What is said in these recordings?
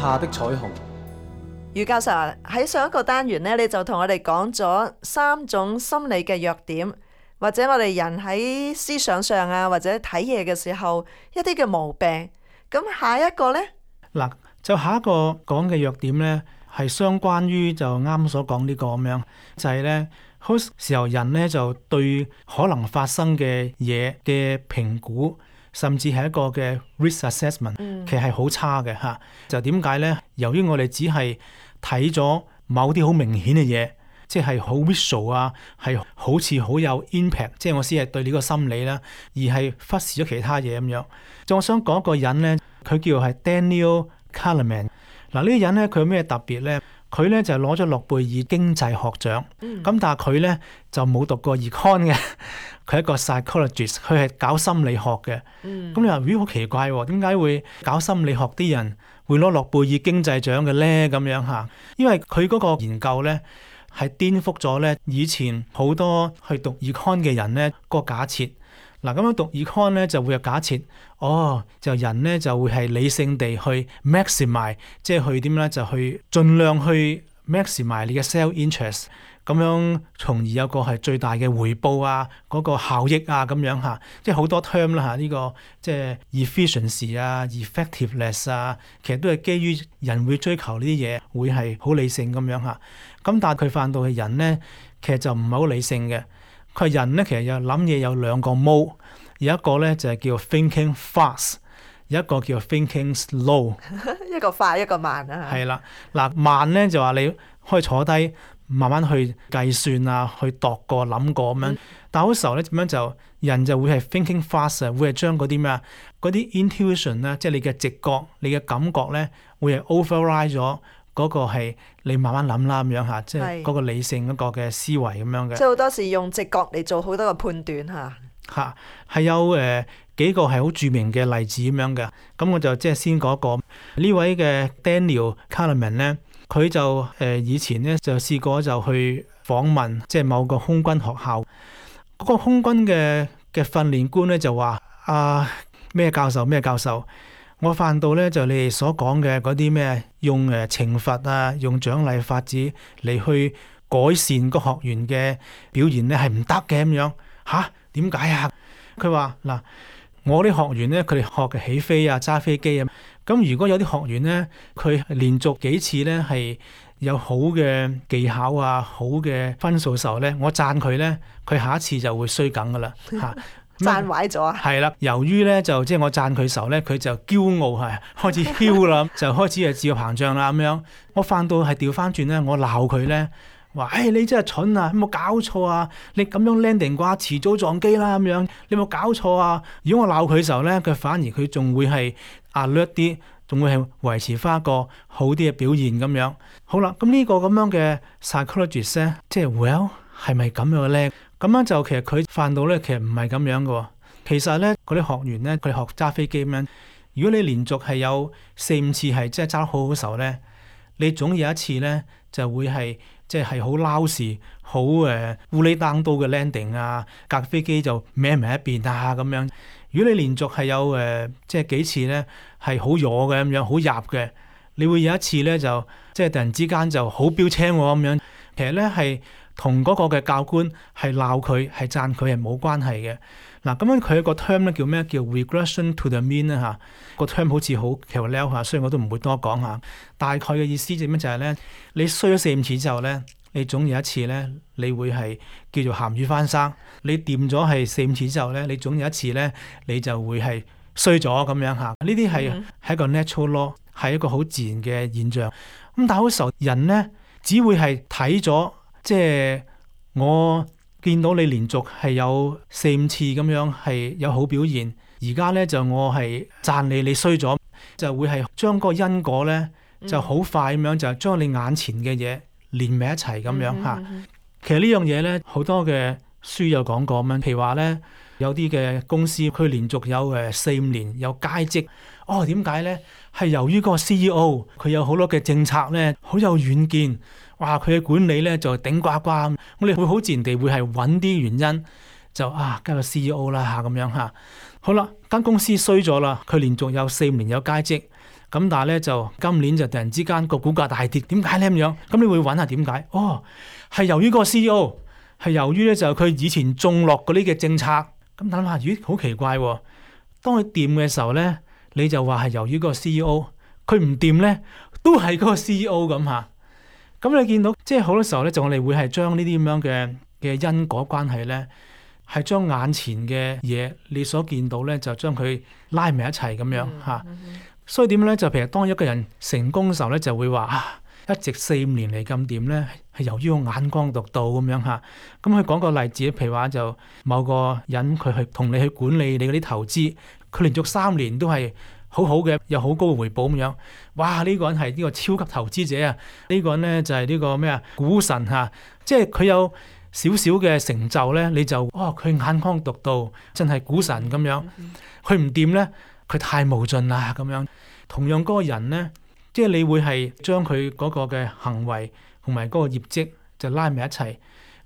下的彩虹。余教授喺上一個單元呢，你就同我哋講咗3種心理嘅弱點，或者我哋人喺思想上啊，或者睇嘢嘅時候一啲嘅毛病。咁下一個呢？嗱，就下一個講嘅弱點呢，係相關於就啱所講呢個咁樣，就係呢，好時候人呢就對可能發生嘅嘢嘅評估，甚至係一個嘅 risk assessment，其實係好差嘅嚇。就點解呢？由於我哋只係睇咗某啲好明顯嘅嘢，即係好 visual 啊，係好似好有 impact， 即係我先係對呢個心理啦，而係忽視咗其他嘢咁樣。就我想講一個人呢，佢叫係 Daniel Kahneman。嗱，呢個人呢，佢有咩特別呢？佢呢就攞咗諾貝爾經濟學獎，咁但係佢呢就冇讀過 econ 嘅，佢係一個 psychologist，佢係搞心理學嘅。咁你話咦，好奇怪喎，點解會搞心理學啲人會攞諾貝爾經濟獎嘅呢？咁樣嚇，因為佢嗰個研究呢係顛覆咗呢以前好多去讀 econ 嘅人呢個假設。嗱，咁樣讀 econ 咧就會有假設，就人咧就會係理性地去 maximize， 即係去點咧就去盡量去 maximize 你嘅 self interest， 咁樣從而有個係最大嘅回報啊，嗰個效益啊咁樣嚇，即係好多 term 啦嚇，呢個即係 efficiency 啊、effectiveness 啊，其實都係基於人會追求呢啲嘢，會係好理性咁樣嚇。咁但係佢犯到嘅人咧，其實就唔係好理性嘅。佢人咧其實有諗嘢有2個 mode， 有一個咧就係叫 thinking fast， 有一個叫 thinking slow， 一個快一個慢啊。係啦，嗱，慢咧就話你可以坐低慢慢去計算啊，去度過諗過咁樣。但係好時候咧點樣就人就會係 thinking fast， 會係將嗰啲咩啊，嗰啲 intuition 咧，即係你嘅直覺、你嘅感覺咧，會係 override 咗。嗰個係你慢慢諗啦咁樣嚇，即係嗰個理性嗰個嘅思維咁樣嘅。即係好多時用直覺嚟做好多個判斷嚇。係有幾個係好著名嘅例子咁樣嘅。咁我就即係先講一個呢位嘅 Daniel Kahneman 咧，佢就以前咧就試過就去訪問即係某個空軍學校，嗰個空軍嘅訓練官咧就話咩教授。我發到咧就你哋所講嘅嗰啲咩用懲罰啊，用獎勵法子嚟去改善個學員嘅表現咧係唔得嘅咁樣嚇？點解啊？佢話嗱，我啲學員咧佢哋學嘅起飛啊、揸飛機啊，咁如果有啲學員咧佢連續幾次咧係有好嘅技巧啊、好嘅分數嘅時候咧，我讚佢咧，佢下一次就會衰梗噶啦嚇。讚壞咗啊！係啦，由於咧就即係我讚佢時候咧，佢就驕傲係開始囂啦，就開始係自我膨脹啦咁樣。我反到係調翻轉咧，我鬧佢咧，話你真係蠢啊！有冇搞錯啊？你咁樣 landing 嘅話，遲早撞機啦咁樣。你有冇搞錯啊？如果我鬧佢時候咧，佢反而佢仲會係alert啲，仲會係維持翻一個好啲嘅表現咁樣。好啦，咁呢個咁樣嘅 psychologist 咧，即係 well 係咪咁樣嘅咧？咁樣就其實佢犯到咧，其實唔係咁樣嘅。其實咧，嗰啲學員咧，佢哋學揸飛機咁樣。如果你連續係有4-5次係即係揸得好好時候咧，你總有一次咧就會係即係好撈時、好烏哩單刀嘅 landing 啊，架飛機就歪埋一邊啊咁樣。如果你連續係有即係幾次咧係好弱嘅咁樣，好入嘅，你會有一次咧就即係突然之間就好標青喎咁樣。其實咧係同嗰個嘅教官係鬧佢係讚佢係冇關係嘅。嗱，咁樣佢有個 term 咧叫咩？叫 regression to the mean 啦嚇。個 term 好似好 clear 嚇，所以我都唔會多講嚇。大概嘅意思就咩？就係咧，你衰咗4-5次之後咧，你總有一次咧，你會係叫做鹹魚翻生。你掂咗係4-5次之後咧，你總有一次咧，你就會係衰咗咁樣嚇。呢啲係一個 natural law， 係一個好自然嘅現象。咁但係好時候人咧，只會係睇咗，即係我見到你連續係有4-5次咁樣係有好表現，而家咧就我係讚你，你衰咗，就會係將個因果咧就好快咁樣就將你眼前嘅嘢連埋一齊咁樣嚇。其實呢樣嘢咧好多嘅書有講過咁樣，譬如話咧有啲嘅公司佢連續有4-5年有佳績，點解咧？係由於個 CEO 佢有好多嘅政策咧，好有遠見。哇！佢嘅管理咧就頂呱呱，我哋會好自然地會係揾啲原因，就加個 CEO 啦嚇咁樣嚇。好啦，間公司衰咗啦，佢連續有4年有佳績，咁但係咧就今年就突然之間個股價大跌，點解咧咁樣？咁你會揾下點解？哦，係由於個 CEO， 係由於咧就佢以前種落嗰啲嘅政策。咁諗下，咦，好奇怪喎！當佢掂嘅時候咧，你就話係由於個 CEO， 佢唔掂咧，都係嗰個 CEO 咁嚇。咁你見到即係好多時候咧，就我哋會係將呢啲咁樣嘅因果關係咧，係將眼前嘅嘢你所見到咧，就將佢拉埋一齊咁樣嚇。所以點咧？就譬如當一個人成功嘅時候咧，就會話啊，一直4-5年嚟咁掂咧，係由於我眼光獨到咁樣嚇。咁佢講個例子，譬如話就某個人佢去同你去管理你嗰啲投資，佢連續3年都係好好嘅，有好高嘅回報咁樣。哇！呢個人係呢個超級投資者啊！呢個人咧就係呢個咩啊？股神嚇，即係佢有少少嘅成就咧，你就佢眼光獨到，真係股神咁樣。佢唔掂咧，佢太無盡啦咁樣。同樣嗰個人咧，即係你會係將佢嗰個嘅行為同埋嗰個業績就拉埋一齊。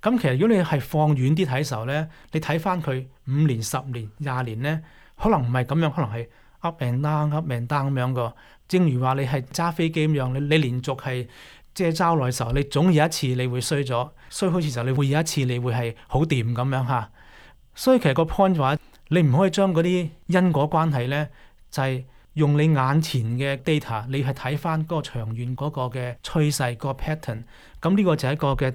咁其實如果你係放遠啲睇時候咧，你睇翻佢5年、10年、20年咧，可能唔係咁樣，可能係 up and down 咁樣個。正如話你係揸飛機咁樣，你連續係即係揸耐嘅時候，你總有一次你會衰咗，衰好似時候你會有一次你會係好掂咁樣嚇。所以其實個 point 話，你唔可以將嗰啲因果關係咧，就係用你眼前嘅 data， 你係睇翻嗰個長遠嗰個嘅趨勢、個 pattern。咁呢個就係一個嘅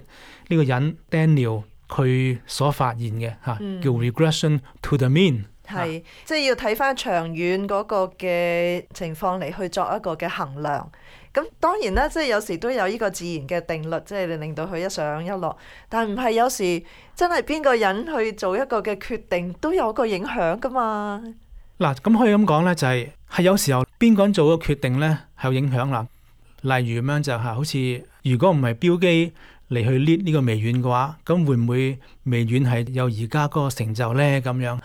呢個人 Daniel 佢所發現嘅嚇，叫 regression to the mean。係，即係要睇翻長遠嗰個嘅情況嚟去作一個嘅衡量。咁當然啦，即係有時都有呢個自然嘅定律，即係令到佢一上一落。但唔係有時真係邊個人去做一個嘅決定都有個影響噶嘛。嗱，咁可以咁講咧，就係有時候邊個人做個決定咧係有影響啦。例如咁樣就係好似如果唔係標基嚟去 lead 呢個微軟嘅話，咁會唔會微軟係有而家嗰個成就咧咁樣？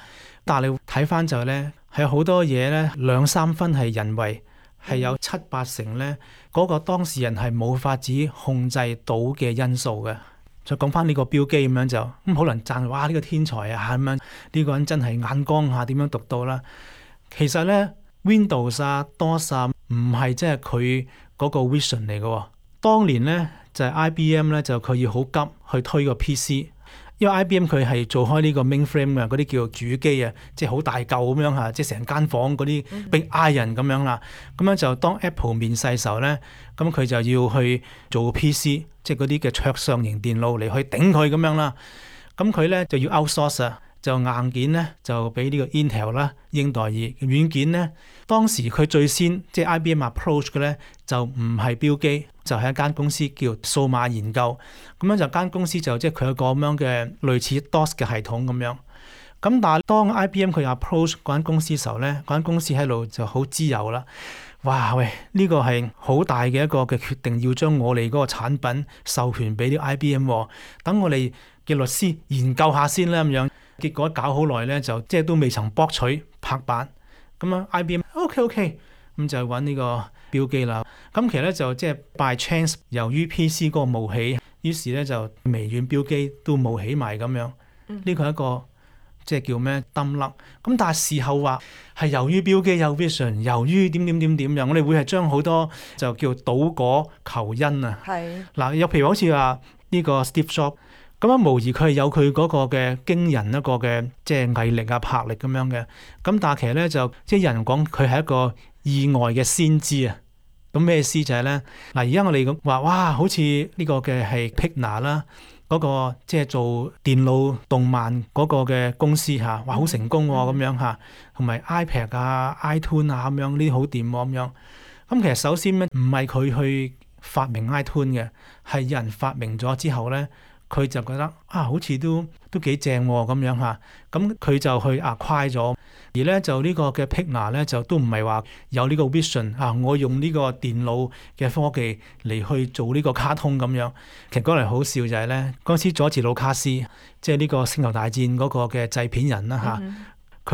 但係你睇翻就咧，係有好多嘢咧2-3分係人為，係有7-8成咧嗰個當事人係冇法子控制到嘅因素嘅。再講翻呢個標基咁樣就咁，可能讚哇呢個天才啊咁樣，呢個人真係眼光下點樣獨到啦。其實咧 Windows 啊 DOS 啊唔係即係佢嗰個 vision 嚟嘅。當年咧就係 IBM 咧就佢要好急去推個 PC。因為 IBM 佢係做開呢個 mainframe 嘅嗰啲叫做主機啊，即係好大嚿咁樣嚇，即係成間房嗰啲 big iron 咁樣啦。咁樣就當 Apple 面世時候咧，咁佢就要去做 PC，即係嗰啲嘅桌上型電腦嚟去頂佢咁樣啦。咁佢咧就要 outsource 啊，就硬件咧就俾呢個 Intel 啦，英代爾。軟件咧當時佢最先即係 IBM approach 嘅咧就唔係標基。就係一間公司叫數碼研究，咁樣就間公司就即係佢有個咁樣嘅類似 DOS 嘅系統咁樣。咁但係當 IBM 佢 approach 嗰間公司嘅時候咧，嗰間公司喺度就好自由啦。哇喂，呢個係好大嘅一個嘅決定，要將我哋嗰個產品授權俾啲 IBM，等我哋嘅律師研究下先啦咁樣。結果搞好耐咧，就即係都未曾博取拍板。咁樣 IBM OK，咁就揾呢個標基啦。咁其實咧就即係 by chance，由於 PC 嗰個冒起，於是咧就微軟標基都冒起埋咁樣。呢個係一個即係叫咩抌甩。咁但係事後話係由於標基有 vision， 由於點樣，我哋會係將好多就叫倒果求因啊。係嗱，有譬如好似話呢個 Steve Jobs，咁樣無疑佢係有佢嗰個嘅驚人一個嘅即係毅力啊、魄力咁樣嘅。咁但係其實咧就即係有人講佢係一個意外嘅先知啊。咁咩意思就係咧嗱，而家我哋咁話哇，好似呢個嘅係 Pixar 啦，嗰個即係做電腦動漫嗰個嘅公司嚇，哇好成功喎咁樣嚇，同埋 iPad 啊、iTunes 啊咁樣呢啲好掂喎咁樣。咁其實首先咧唔係佢去發明 iTunes 嘅，係有人發明咗之後咧，佢就覺得啊好似都幾正喎咁樣嚇，咁佢就去acquire咗。而咧就呢個嘅 Pixar 咧就都唔係話有呢個 vision 啊，我用呢個電腦嘅科技嚟去做呢個卡通咁樣。其實講嚟好笑就係咧，嗰陣時佐治魯卡斯即係呢個星球大戰嗰個嘅製片人啦嚇，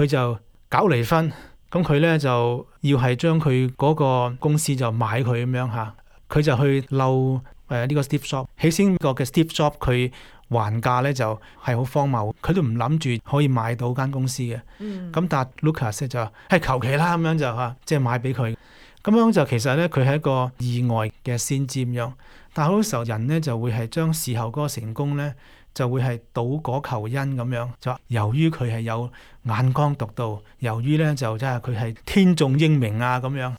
佢就搞離婚，咁佢咧就要係將佢嗰個公司就買佢咁樣嚇，佢就去嬲呢個 Steve Jobs。起先個嘅 Steve Jobs 佢還價咧就係好荒謬，佢都唔諗住可以買到間公司嘅。咁但係 Lucas 就係求其啦咁樣就嚇，即係買俾佢。咁咁樣就其實咧佢係一個意外嘅先知咁樣，但係好多時候人咧就會係將事後嗰個成功咧就會係倒果求因咁樣，就話由於佢係有眼光獨到，由於咧就即係佢係天縱英明啊咁樣。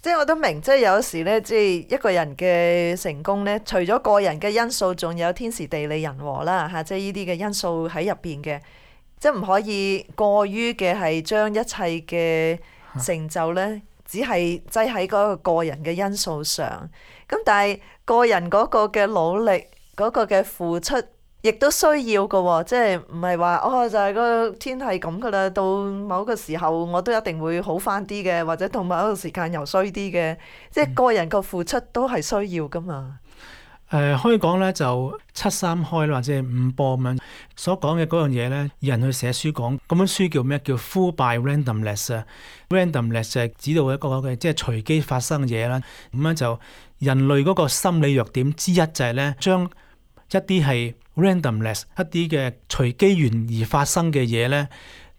即係我都明，即係有時咧，即係一個人嘅成功咧，除咗個人嘅因素，仲有天時地利人和啦嚇，即係呢啲嘅因素喺入邊嘅，即係唔可以過於嘅係將一切嘅成就咧，只係擠喺嗰個人嘅因素上。咁但係個人嗰個嘅努力，嗰個嘅付出，亦都需要嘅喎，即係唔係話就係個天係咁噶啦，到某個時候我都一定會好翻啲嘅，或者到某一個時間又衰啲嘅，即係個人個付出都係需要噶嘛。可以講咧就7-3開或者5波咁樣所講嘅嗰樣嘢咧，有人去寫書講，咁本書叫咩？叫 Fooled by Randomness 啊。Randomness 就係指到一個嘅即係隨機發生嘅嘢啦。咁樣就人類嗰個心理弱點之一就係咧，將一啲係 randomness 一啲嘅隨機緣而發生嘅嘢咧，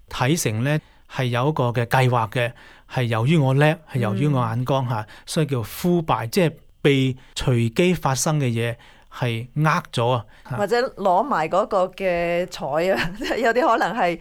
睇成咧係有一個嘅計劃嘅，係由於我叻，係由於我眼光嚇，所以叫 fooled by，即係被隨機發生嘅嘢係呃咗啊，或者攞埋嗰個嘅彩啊，有啲可能係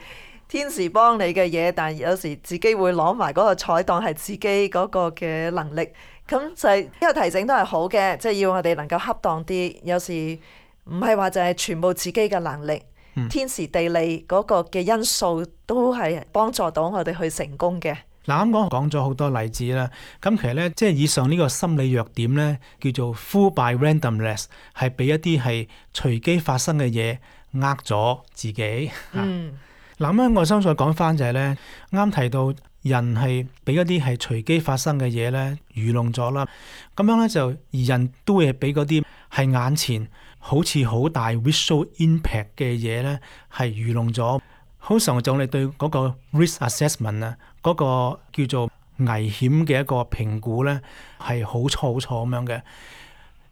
天時幫你嘅嘢，但係有時自己會攞埋嗰個彩當係自己嗰個嘅能力，咁就係呢個提醒都係好嘅，即係要我哋能夠恰當啲，有時。唔係話就係全部自己嘅能力，天時地利嗰個嘅因素都係幫助到我哋去成功嘅。嗱，啱講咗好多例子啦，咁其實咧即係以上呢個心理弱點咧，叫做 Fooled by Randomness， 係俾一啲係隨機發生嘅嘢呃咗自己。嗱，咁我相信講翻就係咧，啱提到人係俾一啲係隨機發生嘅嘢咧愚弄咗啦，咁樣咧就而人都會俾嗰啲係眼前好似好大 visual impact 嘅嘢咧，係愚弄咗。好常就我哋對嗰個 risk assessment 啊，嗰個叫做危險嘅一個評估咧，係好錯好錯咁樣嘅。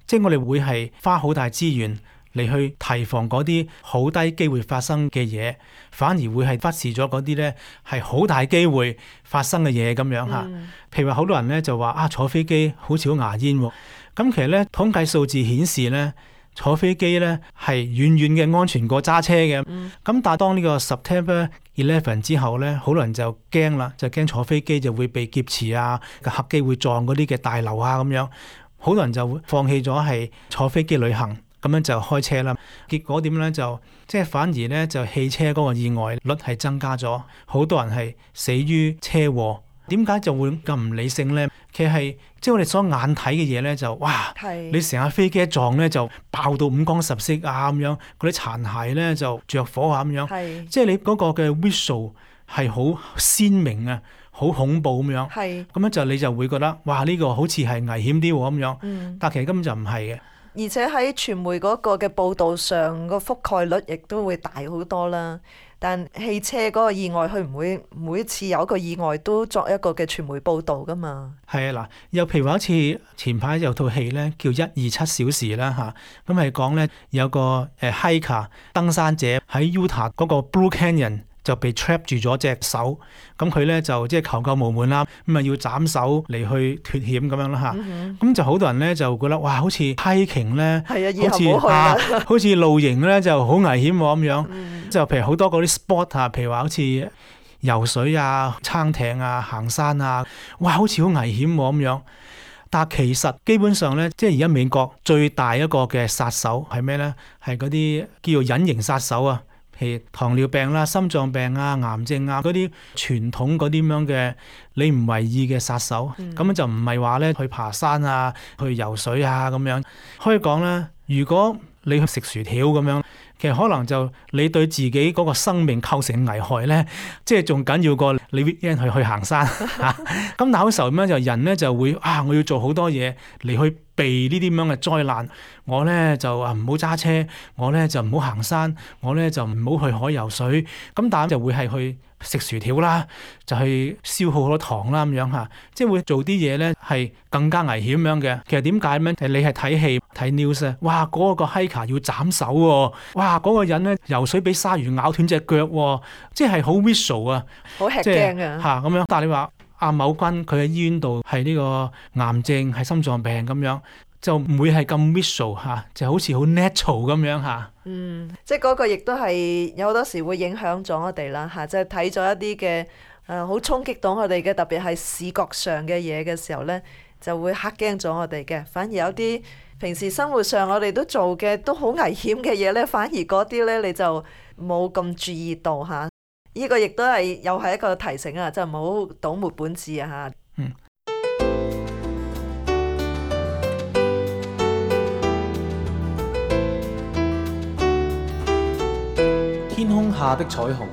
即係我哋會係花好大資源嚟去提防嗰啲好低機會發生嘅嘢，反而會係忽視咗嗰啲咧係好大機會發生嘅嘢咁樣嚇。譬如話好多人咧就話坐飛機好似好牙煙喎，咁其實咧統計數字顯示咧，坐飛機咧係遠遠嘅安全過揸車嘅，咁但係當呢個 September 11之後咧，好多人就驚啦，就驚坐飛機就會被劫持啊，個客機會撞嗰啲嘅大樓啊咁樣，好多人就會放棄咗係坐飛機旅行，咁樣就開車啦。結果點咧就即係反而咧就汽車嗰個意外率係增加咗，好多人係死於車禍。點解就會咁唔理性咧？其實係即係我哋所眼睇嘅嘢咧，就哇！你成架飛機一撞咧，就爆到五光十色啊咁樣，嗰啲殘骸咧就着火啊咁樣。即係你嗰個嘅 visual 係好鮮明啊，好恐怖咁樣。咁樣就你就會覺得哇！呢個好似係危險啲喎咁樣。但其實根本就唔係嘅。而且喺傳媒嗰個嘅報導上，個覆蓋率亦都會大好多啦。但汽車嗰個意外，佢唔會每一次有一個意外都作一個嘅傳媒報導噶嘛。係啊，嗱，又譬如話好似前排有套戲咧，叫127小時啦嚇，咁係講咧有個hiker 登山者喺 Utah 嗰個 Blue Canyon，就被 trap 住咗隻手，咁佢咧就即係求救無門啦，咁啊要斬手嚟去脫險咁樣啦嚇，咁就好多人咧就覺得哇，好似 hiking 咧，好似露營咧就好危險喎咁樣，就譬如好多嗰啲 sport 啊，譬如話好似游水啊、撐艇啊、行山啊，哇，好似好危險喎咁樣。但係其實基本上咧，即係而家美國最大一個嘅殺手係咩咧？係嗰啲叫做隱形殺手啊。譬如糖尿病啦、心臟病啊、癌症啊嗰啲傳統嗰啲咁樣嘅你唔為意嘅殺手，咁就唔係話咧去爬山啊、去游水啊咁樣。可以講咧，如果你去食薯條咁樣，其實可能就你對自己嗰個生命構成危害咧，即係仲緊要過你 weekend 去行山嚇。咁但係好時候咁樣就人咧就會我要做好多嘢嚟去避呢啲咁樣嘅災難。我咧就唔好揸車，我咧就唔好行山，我咧就唔好去海游水。咁但係就會係去食薯條啦，就去消耗好多糖啦咁樣嚇，即係會做啲嘢咧係更加危險咁樣嘅。其實點解咧？你係睇戲睇 news 啊，哇嗰個 hiker 要斬手喎，哇嗰個人咧游水俾鯊魚咬斷隻腳喎，即係好 visual 啊，好吃驚啊嚇咁樣。但係你話某君佢喺醫院度係呢個癌症係心臟病咁樣，就唔會係咁 visual 嚇，就好似好 natural 咁樣嚇。即係嗰個亦都係有好多時會影響咗我哋啦嚇，即係睇咗一啲嘅好衝擊到我哋嘅，特別係視覺上嘅嘢嘅時候呢，就會嚇驚咗我哋嘅。反而有啲平時生活上我哋都做嘅都好危險嘅嘢呢，反而嗰啲呢，你就冇咁注意到嚇。呢個亦都係又係一個提醒啊，即係唔好倒抹本志啊嚇。天空下的彩虹。